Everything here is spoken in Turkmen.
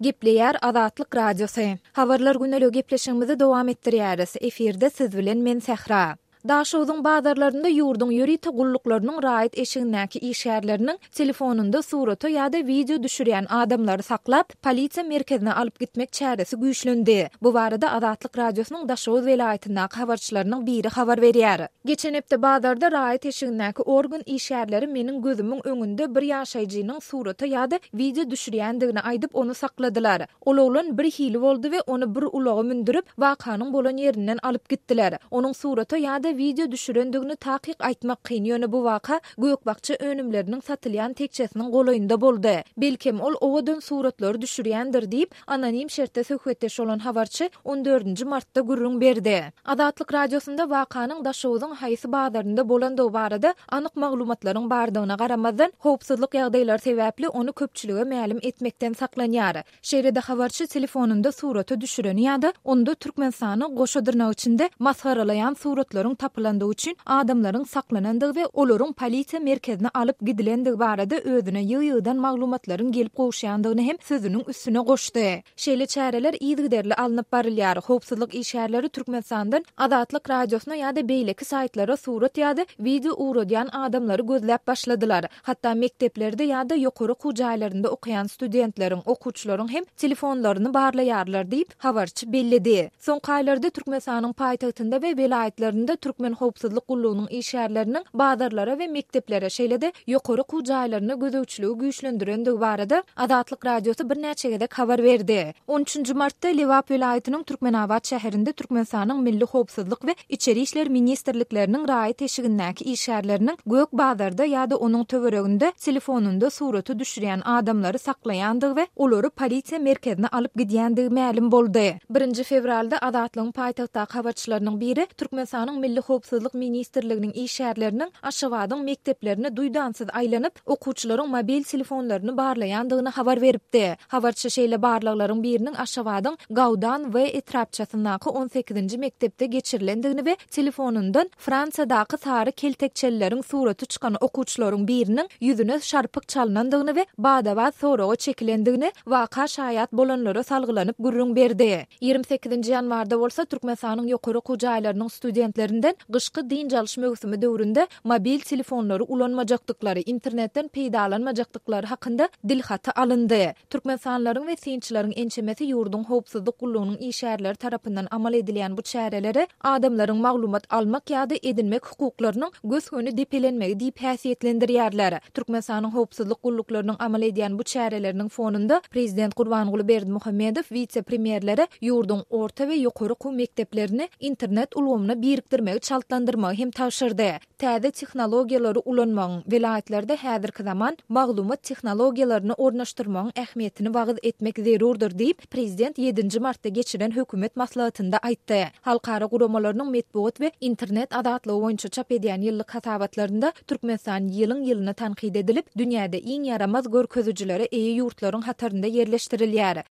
Gepleýär Azatlyk Radiosy. Habarlar güneligi gepleşigimizi dowam etdirýäris. Efirde siz bilen men Sähra. Daşogzuň bazarlarynda ýurduň ýörite gulluklarynyň raýat eşigindäki işgärleriniň telefonynda surata ýa-da wideo düşürýän adamlary saklap, polisiýa merkezine alyp gitmek çäresi güýçlendi. Bu barada Azatlyk Radiosynyň Daşoguz welaýatyndaky habarçylarynyň biri habar berýär. Geçen hepde bazarda raýat eşigindäki organ işgärleri meniň gözümiň öňünde bir ýaşaýjynyň surata ýa-da wideo düşürýändigini aýdyp, ony sakladylar. Ol oglan birhili boldy we ony bir ulaga mündürip, wakanyň bolan ýerinden alyp gitdiler. Onuň surata ýa-da wideo düşürendigini takyk aýtmak kyn, ýöne bu waka gök-bakja önümleriniň satylýan tekjesiniň golaýynda boldy. Belkem, ol owadan suratlary düşürýändir diýip, anonim şertde söhbetdeş bolan habarçy on dördünji martda gürrüň berdi. Azatlyk Radiosynda wakanyň Daşoguzyň haýsy bazarynda bolandygy barada anyk maglumatlaryň bardygyna garamazdan, howpsuzlyk ýagdaýlary sebäpli ony köpçülige mälim etmekden saklanýar. Şeýle-de habarçy telefonynda surata düşüreni ýa-da onda Türkmenistany goşa dyrnak içinde masgaralaýan suratlaryň tapylandygy üçin adamlaryň saklanandygy we olaryň polisiýa merkezine alyp gidilendigi barada özüne ýygy-ýygydan maglumatlaryň gelip gowuşýandygyny hem sözüniň üstüne goşdy. Şeýle çäreler yzygiderli alnyp barylýar. Howpsuzlyk işgärleri Türkmenistandan Azatlyk Radiosyna ýa-da beýleki saýtlara surat ýa-da wideo ugradýan adamlary gözläp başladylar. Hatda mekdeplerde ýa-da ýokary okuw jaýlarynda okaýan studentleriň, okuwçylaryň hem telefonlaryny barlaýarlar diýip, habarçy belledi. Soňky aýlarda Türkmenistanyň paýtagtynda we welaýatlarynda Türkmen howpsuzlyk gullugynyň işgärleriniň bazarlara we mekdeplere, şeýle-de ýokary okuw jaýlaryna gözegçiligi güýçlendirendigi barada Azatlyk Radiosy birnäçe gezek habar berdi. On üçünji martda Lebap welaýatynyň Türkmenabat şäherinde Türkmenistanyň Milli howpsuzlyk we Içeri işler ministrlikleriniň raýat eşigindäki işgärleriniň Gök bazarda ýa-da onuň töwereginde telefonynda surata düşürýän adamlary saklaýandygy we olary polisiýa merkezine alyp gidýändigi mälim boldy. Birinji fewralda Azatlygyň paýtagtdaky habarçylarynyň biri Türkmenistanyň Milli howpsuzlyk ministrliginiň işgärleriniň Aşgabadyň mekdeplerine duýdansyz aýlanyp, okuwçylaryň mobil telefonlaryny barlaýandygyny habar beripdi. Habarçy şeýle barlaglaryň biriniň Aşgabadyň Gaudan W etrapçasyndaky on sekizinji mekdepde geçirilendigini we telefonyndan Fransiýadaky sary keltekçelileriň suraty çykan okuwçylaryň biriniň ýüzüne şarpyk çalnandygyny we bada-bat soraga çekilendigini waka şaýat bolanlara salgylanyp gürrüň berdi. 28-nji ýanwarda bolsa Türkmenistanyň ýokary okuw jaýlarynyň studentlerinden gyşky dynç alyş möwsümi döwründe mobil telefonlary ulanmajakdyklary, internetden peýdalanmajakdyklary hakynda dilhaty alyndy. Türkmenistanlylaryň we synçylaryň ençemesi ýurduň howpsuzlyk gullugynyň işgärleri tarapyndan amal edilýän bu çäreleri adamlaryň maglumat almak ýa-da edinmek hukuklarynyň gös-göni depelenmegi diýip häsiýetlendirýärler. Türkmenistanyň howpsuzlyk gulluklarynyň amal edýän bu çäreleriniň fonunda prezident Gurbanguly Berdimuhamedow wise-premýerlere ýurduň orta we ýokary okuw mekdeplerini internet ulgamyna birikdirmegi çaltlandyrmagy hem tabşyrdy. Täze tehnologiýalary ulanmagyň, welaýatlarda häzirki zaman maglumat tehnologiýalaryny ornaşdyrmagyň ähmiýetini wagyz etmek zerurdyr diýip, prezident ýedinji martda geçiren hökümet maslahatynda aýtdy. Halkara guramalarynyň metbugat we internet azatlygy boýunça çap edýän ýyllyk hasabatlarynda Türkmenistan ýylyň-ýylyna tankyt edilip, dünýäde iň ýaramaz görkezijilere eýe ýurtlaryň hatarynda ýerleşdirilýär.